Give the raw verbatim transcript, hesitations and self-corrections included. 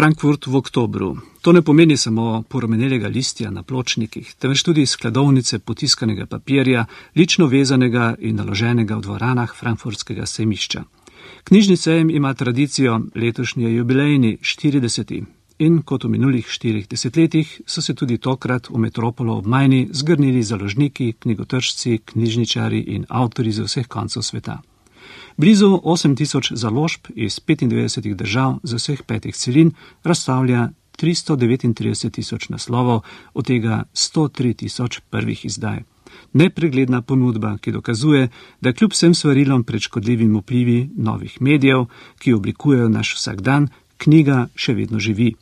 Frankfurt v oktobru. To ne pomeni samo porumenelega listja na pločnikih, temveč tudi skladovnice potiskanega papirja, lično vezanega in naloženega v dvoranah frankfurtskega sejmišča. Knjižni sejem ima tradicijo, letošnji je jubilejni, štirideseti. In kot v minulih štirih desetletjih so se tudi tokrat v metropolo ob Majni zgrnili založniki, knjigotržci, knjižničari in avtorji z vseh koncev sveta. Blizu osem tisoč založb iz petindevetdesetih držav z vseh petih celin razstavlja tristo devetintrideset tisoč naslovov, od tega sto tri tisoč prvih izdaj. Nepregledna ponudba, ki dokazuje, da kljub vsem svarilom pred škodljivimi vplivi novih medijev, ki oblikujejo naš vsakdan, knjiga še vedno živi.